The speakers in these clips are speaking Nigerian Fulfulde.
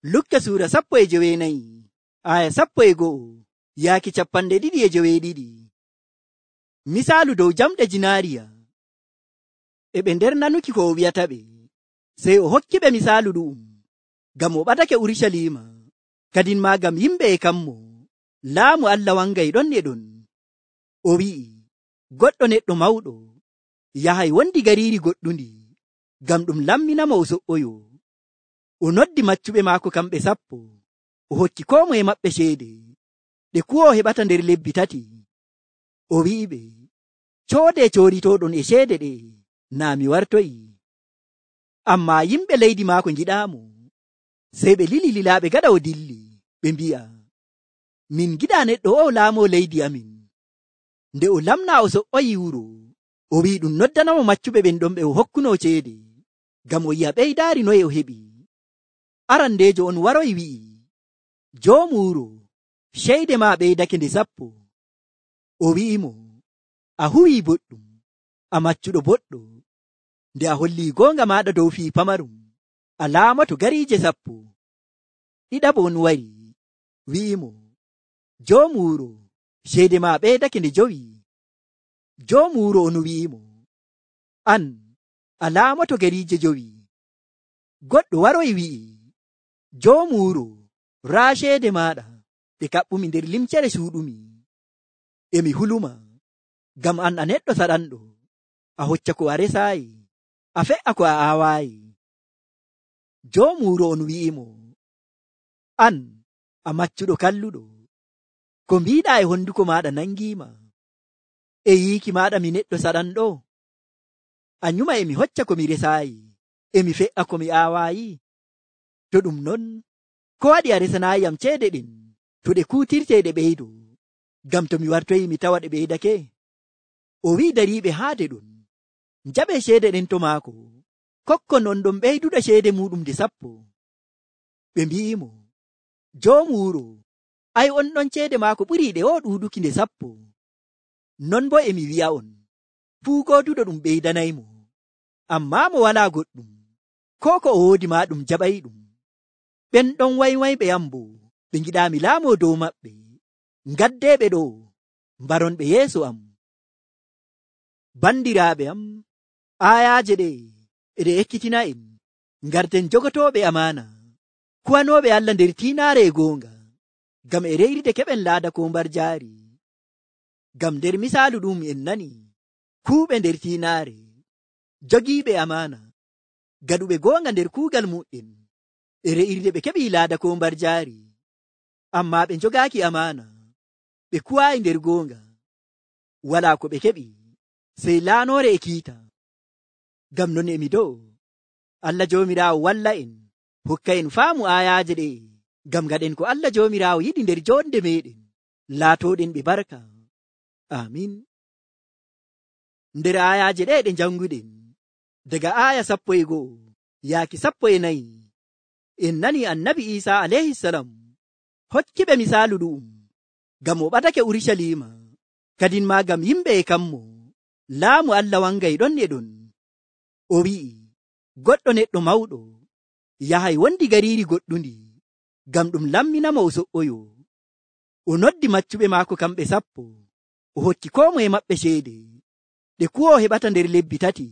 Lukka suura 14 aya 11 yaaki 22. Misaalu dow jamɗe jinaariya. E ɓe nder nanuki ko o wi'ata ɓe, sey o hokki ɓe misaalu ɗu'um, ngam o ɓadake Urusalima, kadin maa ngam yimɓe e kammo, laamu Allah wangay ɗon e ɗon. O wi'i, goɗɗo neɗɗo mawɗo yahay wondi gariiri goɗɗundi, ngam ɗum lamminamo o so''oyo. O noddi maccuɓe maako kamɓe 10, o hokki koo moye maɓɓe ceede, ɗe kuwo o heɓata nder lebbi 3. O wi'iɓe, coodee cooditooɗon e ceede ɗe, naa mi wartoyi. Ammaa yimɓe leydi maako ngiɗaamo, sey ɓe lili lilaaɓe gaɗa o dilli, ɓe mbi'a, min ngiɗaa neɗɗo o laamoo leydi amin. Nde o lamnaa o so''oyi wuro, o wi'i ɗum noddanamo maccuɓe ɓen ɗon ɓe o hokkunoo ceede, ngam o yi'a ɓeydaari noye o heɓi. Arandeejo on waroyi wi'i, joomu wuro, ceede maa ɓeydake nde 10. O wi'imo, a huwii boɗɗum, a maccuɗo boɗɗo. Nde a hollii goonga maaɗa dow fii pamarum, a laamato gariije 10. Ɗiɗaɓo on wari, wi'imo, joomu wuro, ceede maa ɓeydake nde 5. Joomu wuro on wi'imo, an, a laamato gariije 5. Goɗɗo waroyi wi'i, joomu wuro, raa ceede maaɗa ɗe kaɓɓumi nder limcere suuɗumi. Emi huluma, ngam an a neɗɗo saɗanɗo, a hocca ko a resaayi, a fe'a ko a aawaayi. Joomu wuro on wi'imo, an, a maccuɗo kalluɗo, ko mbiiɗaa e honduko maaɗa nangiima. E yiiki maaɗa mi neɗɗo saɗanɗo, a nyuma emi hocca ko mi resaayi, emi fe'a ko mi aawaayi. To ɗum non, ko waɗi a resanaayi am ceede ɗen, to ɗe kuutirtee ɗe ɓeydo, ngam to mi wartoyi mi tawa ɗe ɓeydake? O wi'i dariiɓe haade ɗon, njaɓee ceede ɗen to maako, kokkon on ɗon ɓeyduɗo ceede muɗum nde 10. Ɓe mbi'imo, joomu wuro, ay on ɗon ceede maako ɓurii ɗe o ɗuuɗuki nde 10. Non bo emi wi'a on, fuu gooduɗo ɗum ɓeydanaymo, ammaa mo walaa goɗɗum, koo ko o woodi maa ɗum jaɓayɗum. Ɓen ɗon waywayɓe am bo, ɓe ngiɗaami laamoo dow maɓɓe. Ngaddeeɓe ɗo, mbaronɓe yeeso am. Bandiraaɓe am, aayaaje ɗe eɗe ekkitina en, ngarten jogotooɓe amaana, kuwanooɓe Allah nder tiinaare e goonga, ngam e reyride keɓen laada ko mbar jaari. Ngam nder misaalu ɗum en nani, kuuɓe nder tiinaare, jogiiɓe amaana, gaɗuɓe goonga nder kuugal mu'en, e re'irde ɓe keɓii laada ko mbar jaari. Ammaa ɓe njogaaki amaana, ɓe kuwaayi nder goonga, walaa ko ɓe keɓi, sey laanoore e kiita. Ngam non emi dow, Allah Joomiraawo walla en, hokka en faamu aayaaje ɗe, ngam gaɗen ko Allah Joomiraawo yiɗi nder joonde meeɗen, laatooɗen ɓe barka. Amin. Nder aayaaje ɗe ɗe njannguɗen, daga aaya 11 yaaki 14, en nani annabi Iisaa alayhisalam hokki ɓe misaalu ɗu'um, ngam o ɓadake Urusalima, kadin maa ngam yimɓe e kammo, laamu Allah wangay ɗon e ɗon. O wi'i, goɗɗo neɗɗo mawɗo yahay wondi gariiri goɗɗundi, ngam ɗum lamminamo o so''oyo. O noddi maccuɓe maako kamɓe 10, o hokki koo moye maɓɓe ceede, ɗe kuwo o heɓata nder lebbi 3.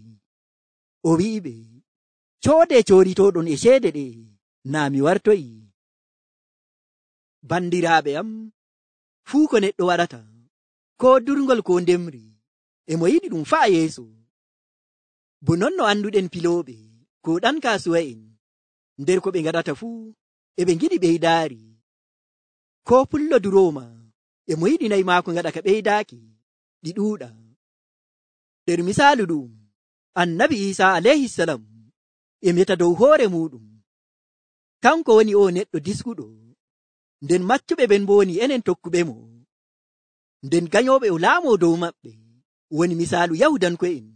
O wi'iɓe, coodee cooditooɗon e ceede ɗe, naa mi wartoyi. Bandiraaɓe am, fuu ko neɗɗo waɗata, koo durngol koo ndemri, e mo yiɗi ɗum fa'a yeeso. Bo non no annduɗen pilooɓe koo ɗan kaasuwa'en, nder ko ɓe ngaɗata fuu, e ɓe ngiɗi ɓeydaari. Koo pullo durooma, e mo yiɗi nayi maako ngaɗa ka ɓeydaaki, ɗi ɗuuɗa. Nder misaalu ɗum, annabi Iisaa alayhisalam e meta dow hoore muɗum. Kanko woni o neɗɗo diskuɗo, nden maccuɓe ɓen bo woni enen tokkuɓe mo. Nden ganyooɓe o laamoo dow maɓɓe woni misaalu Yahudanko'en,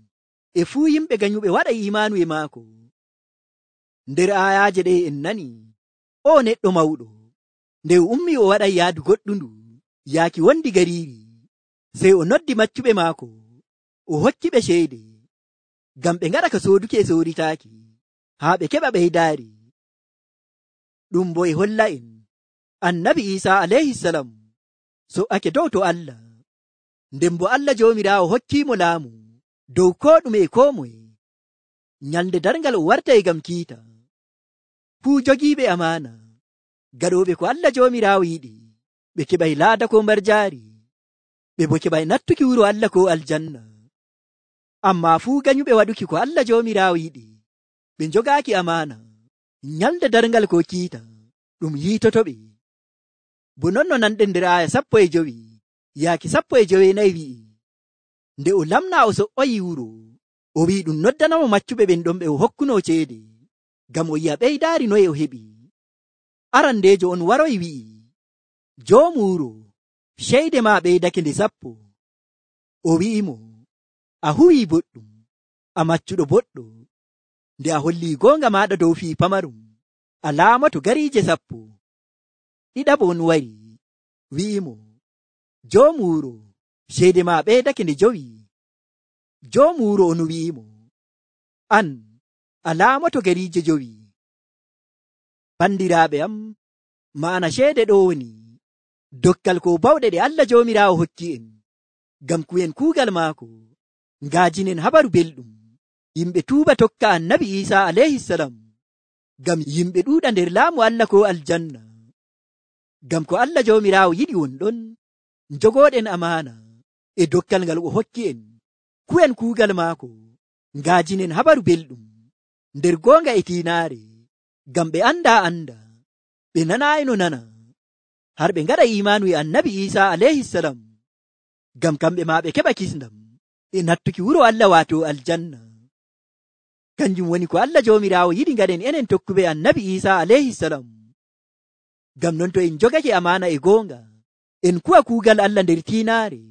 e fuu yimɓe ganyuɓe waɗa imaanu e maako. Nder aayaaje ɗe en nani, o neɗɗo mawɗo, nde o ummi o waɗay yaadu goɗɗundu, yaaki wondi gariiri, sey o noddi maccuɓe maako, o hokki ɓe ceede, ngam ɓe ngaɗa ka sooduki e sooritaaki, haa ɓe keɓa ɓeydaari. ɗum bo e holla en annabi Isa alayhisalam so'ake dow to Allah, nden bo Allah joomiraawo hokkimo laamu dow ko ɗume e ko moye. Nyalde darngal o wartay ngam kiita fuu jogiiɓe amana gaɗooɓe ko Allah joomiraawo yiɗi, ɓe keɓay laada ko mbarjaari, ɓe bo keɓay nattuki wuro Allah ko aljanna. Amma fuu ganyuɓe waɗuki ko Allah joomiraawo yiɗi, ɓe njogaaki amana, nyalde darngal ko kiita ɗum yiitotoɓe. Bo non no nanɗen nder aya 15 yaaki 14 wi'i, nde o lamna o so'oyi wuro, o wi'i ɗum noddanamo maccuɓe ɓen ɗon ɓe o hokkuno ceede, ngam o yi'a ɓeydaari noye o heɓi. Arandeejo on waroyi wi'i, joomu wuro, ceede ma ɓeydake nde 10. O wi'imo, a huwi boɗɗum, a maccuɗo boɗɗo, nde a holli goonga maɗa dow fii pamarum, a laamato gariije 10. Ɗiɗaɓo on wari wi'imo, joomu wuro, ceede ma ɓeydake nde 5. Joomu wuro on wi'imo, an a laamato gariije 5. Bandiraaɓe am, ma'ana ceede ɗo woni dokkal ko bawɗe ɗe Allah joomiraawo hokki en, ngam ku'en kuugal maako ngaajinen habaru belɗum, yimɓe tuuba tokka annabi Isa alayhisalam, ngam yimɓe ɗuuɗa nder laamu Allah ko aljanna. Ngam ko Allah joomiraawo yiɗi wonɗon, njogooɗen amana e dokkal ngal o hokki en, ku'en kuugal maako ngaajinen habaru belɗum nder goonga e tiinaare, ngam ɓe anda, ɓe nanaayi no nana, har ɓe ngaɗa imaanu e annabi Isa alayhisalam, ngam kamɓe ma ɓe keɓa kisndam e nattuki wuro Allah waato aljanna. Kanjum woni ko Allah joomiraawo yiɗi ngaɗen enen tokkuɓe annabi Isa alayhisalam. Ngam non to en jogake amana e goonga, en kuwa kuugal Allah nder tiinaare,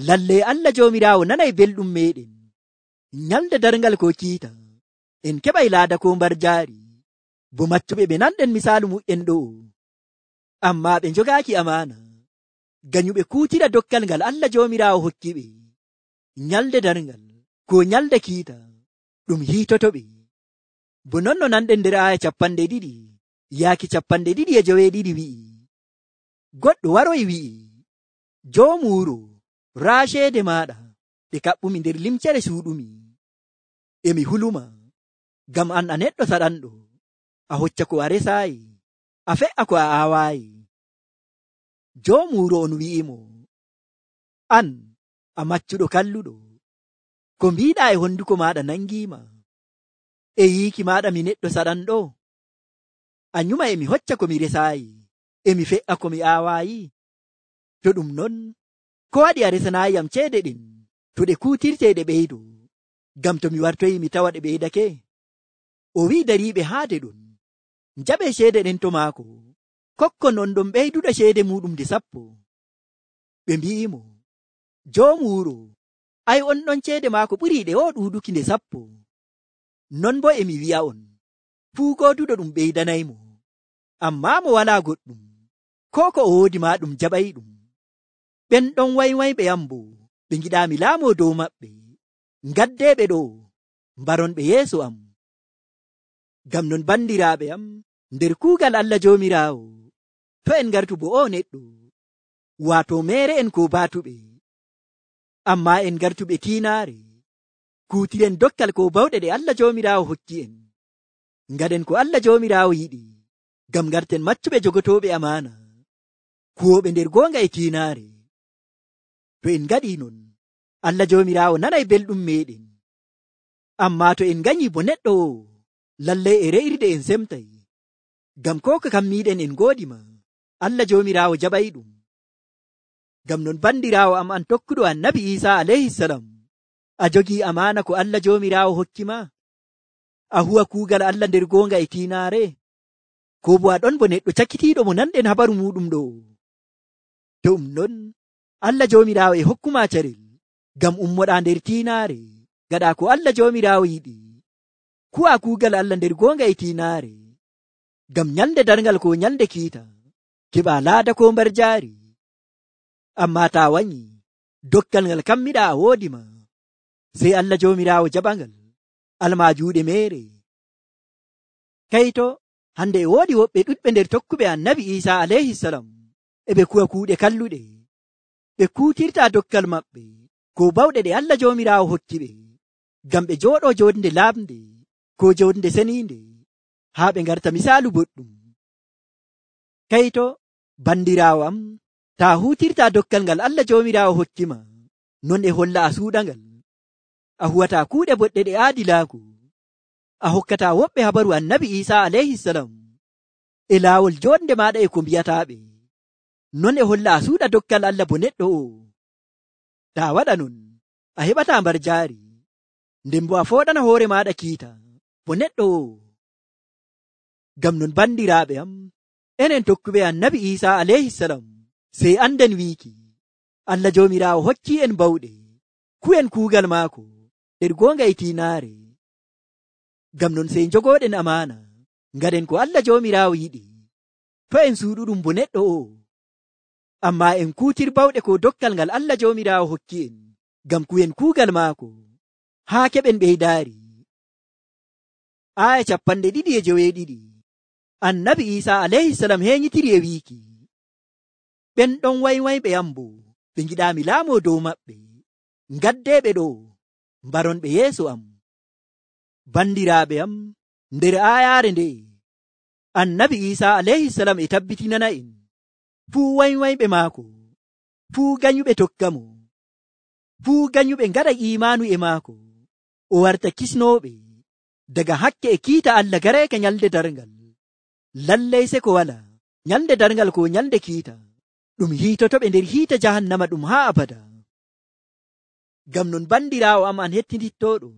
lalle Allah joomiraawo nanay belɗum meɗen. Nyalde darngal ko kiita, en keɓay laada ko mbarjaari, bo maccuɓe ɓe nanɗen misaalu mu'en ɗo, amma ɓe njogaaki amana, ganyuɓe kuutira dokkal ngal Allah joomiraawo hokki ɓe. Nyalde darngal ko nyalde kiita ɗum hiitotoɓe. Bo non no nanɗen nder aya 20 yaaki 22 wi'i, goɗɗo waroyi wi'i, joomu wuro, raa ceede maɗa ɗe kaɓɓumi nder limcere suuɗumi, emi huluma, ngam an a neɗɗo saɗanɗo, a hocca ko a resaayi, a fe'a ko a aawaayi. Joomu wuro on wi'imo, an a maccuɗo kalluɗo, ko mbiɗa e honduko maɗa nangiima, e yiiki maɗa mi neɗɗo saɗanɗo, a nyuma emi hocca ko mi resaayi, emi fe'a ko mi aawaayi. To ɗum non, ko waɗi a resanaayi am ceede ɗen, to ɗe kuutirte ɗe ɓeydo, ngam to mi wartoyi mi tawa ɗe ɓeydake. O wi'i dariiɓe haade ɗon, njaɓe ceede ɗen to maako, kokkon on ɗon ɓeyduɗo ceede muɗum nde 10. Ɓe mbi'imo, joomu wuro, ay on ɗon ceede maako ɓurii ɗe o ɗuuɗuki nde 10. Non bo emi wi'a on, fuu gooduɗo ɗum ɓeydanaymo, amma mo walaa goɗɗum, ko o woodi ma ɗum jaɓay ɗum. Ɓen ɗon waywayɓe am bo, ɓe ngiɗaami laamo dow maɓɓe, ngaddeɓe ɗo, mbaronɓe yeeso am. Ngam non bandiraaɓe am, nder kuugal Allah joomiraawo, to en ngartu bo o neɗɗo, waato meere en ko baatuɓe, amma en ngartuɓe tiinaare, kuutiren dokkal ko bawɗe ɗe Allah joomiraawo hokki en, ngaɗen ko Allah joomiraawo yiɗi, ngam ngarten maccuɓe jogotooɓe amana, kuwoɓe nder goonga e tiinaare. To en ngaɗi non, Allah joomiraawo nanay belɗum meɗen. Amma to en ganyi bo neɗɗo o, lallay e re'irde en semtay, ngam ko ko kammiɗen en goodi ma, Allah joomiraawo jaɓay ɗum. Ngam non bandiraawo am an tokkuɗo annabi Isa alayhisalam, a jogii amana ko Allah joomiraawo hokki ma? A huwa kuugal Allah nder goonga e tiinaare? Ko bo a ɗon bo neɗɗo cakkitiiɗo mo nanɗen habaru muɗum ɗo? To ɗum non, Allah joomiraawo e hokkuma carel, ngam ummoɗa nder tiinaare, gaɗa ko Allah joomiraawo yiɗi, kuwa kuugal Allah nder goonga e tiinaare, ngam nyalde darngal ko nyalde kiita, keɓa laada ko mbarjaari. Amma ta wanyi, dokkal ngal kammiɗa a woodi ma, sey Allah joomiraawo jaɓangal, alma juuɗe meere. Kayto hande e woodi woɓɓe ɗuɗɓe nder tokkuɓe annabi Isa alayhisalam e ɓe kuwa kuuɗe kalluɗe. Ɓe kuutirta dokkal maɓɓe ko bawɗe ɗe Allah Joomiraawo hokki ɓe ngam ɓe jooɗo jonde lamde ko jonde seninde haa ɓe ngarta misaalu boɗɗum. Kayto bandiraawo am, ta huutirta dokkal ngal Allah Joomiraawo hokkima non e holla a suuɗangal, a huwata kuuɗe boɗɗe ɗe aadilaaku, a hokkata woɓɓe habaru annabi Isa alayhisalam e laawol jonde maɗa e ko mbiyataɓe, non e holla a suuɗa dokkal Allah bo neɗɗo o. Ta waɗa non a heɓata mbar jaari, nden bo a fooɗana hoore maɗa kiita bo neɗɗo o. Ngam non bandiraaɓe am, enen tokkuɓe annabi Isa alayhisalam sey anden wiiki Allah Joomiraawo hokki en bawɗe ku'en kuugal maako nder goonga e tiinaare. Ngam non sey jogoɗen amaana ngaɗen ko Allah Joomiraawo yiɗi, to en suuɗuɗum bo neɗɗo o, amma en kuutir bawɗe ko dokkal ngal Allah Joomiraawo hokki en ngam ku'en kuugal maako haa keɓen ɓeydaari. Aya 22. Annabi Isa alayhisalam heñitiri e wiiki, ɓen ɗon waywayɓe am bo ɓe ngiɗaami laamo dow maɓɓe, ngaddeɓe ɗo mbaronɓe yeeso am. Bandiraaɓe am, nder ayaare nde annabi Isa alayhisalam e tabbitinana en fuu waywayɓe maako, fuu ganyuɓe tokkamo, fuu ganyuɓe ngaɗa imaanu e maako, o warta kisnooɓe daga hakke e kiita Allah gareeka nyalde darngal. Lallay se ko wala nyalde darngal ko nyalde kiita ɗum hiitotoɓe nder hiita jahannama ɗum haa abada. Ngam non bandiraawo am an hettitittoɗo,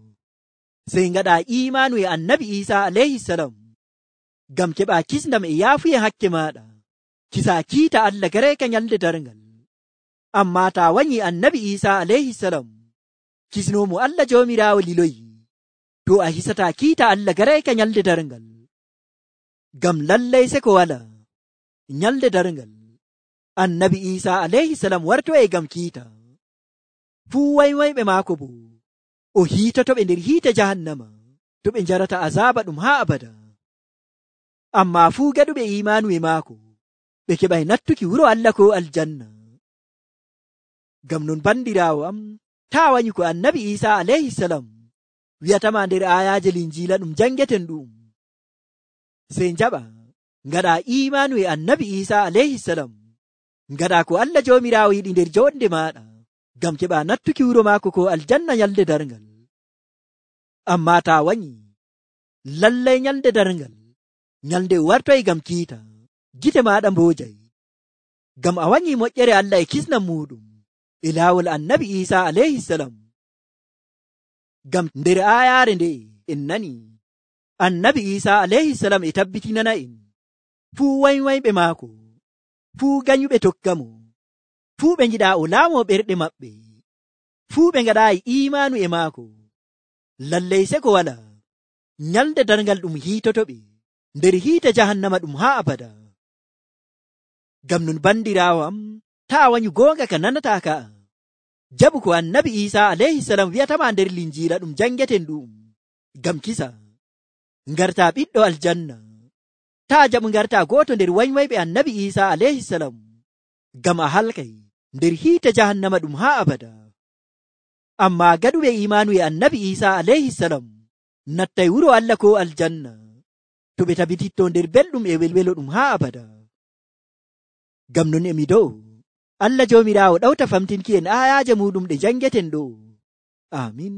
sey ngaɗa imaanu e annabi Isa alayhisalam ngam keɓa kisndam e yaafuye hakke maɗa, kisa kiita Allah gareeka nyalde darngal. Amma ta wanyi annabi Isa alayhisalam kisnomo Allah Joomiraawo liloyi, to a hisata kiita Allah gareeka nyalde darngal. Ngam lallay se ko wala nyalde darngal annabi Isa alayhisalam warto e gam kiita, fuu waywayɓe maako bo o hiitotoɓe nder hiite jahannama to ɓe njarata azaba ɗum haa abada. Amma fuu gaɗuɓe imaanu e maako ɓe keɓay nattuki wuro Allah ko aljanna. Ngam non bandiraawo am, taa wanyi ko annabi Isa alayhisalam wi'atama nder ayaje linjiila ɗum jangeten ɗum, sey njaɓa ngaɗa imaanu e annabi Isa alayhisalam, ngaɗa ko Allah Joomiraawo yiɗi nder jonde maɗa ngam keɓa nattuki wuro maako ko aljanna nyalde darngal. Amma ta wanyi, lallay nyalde darngal nyalde wartoy gam kiita, gite maɗa mboojay, ngam a wanyi moƴƴere Allah e kisnam muɗum e laawol annabi Isa alayhisalam. Ngam nder ayaare nde en nani annabi Isa alayhisalam e tabbitinana en fuu waywayɓe maako, fuu ganyuɓe tokkamo, fuu ɓe ngiɗa o laamo ɓerɗe maɓɓe, fuu ɓe ngaɗayi imaanu e maako, lallay se ko wala nyalde darngal ɗum hiitotoɓe nder hiite jahannama ɗum haa abada. Ngam non bandiraawo am, taa wanyu goonga ka nanata ka, jaɓu ko annabi Isa alayhisalam wi'atama nder linjiila ɗum jangeten ɗum ngam kisa, ngarta ɓiɗɗo aljanna. Taa jaɓu ngarta gooto nder waywayɓe annabi Isa alayhisalam, ngam a halkay nder hiite jahannama ɗum haa abada. Amma gaɗuɓe imaanu e annabi Isa alayhisalam nattay wuro Allah ko aljanna to ɓe tabititto nder belɗum e welwelo ɗum haa abada. Ngam non emi dow Allah Joomiraawo ɗawta famtinki en ayaje muɗum ɗe jangeten ɗo. Amin.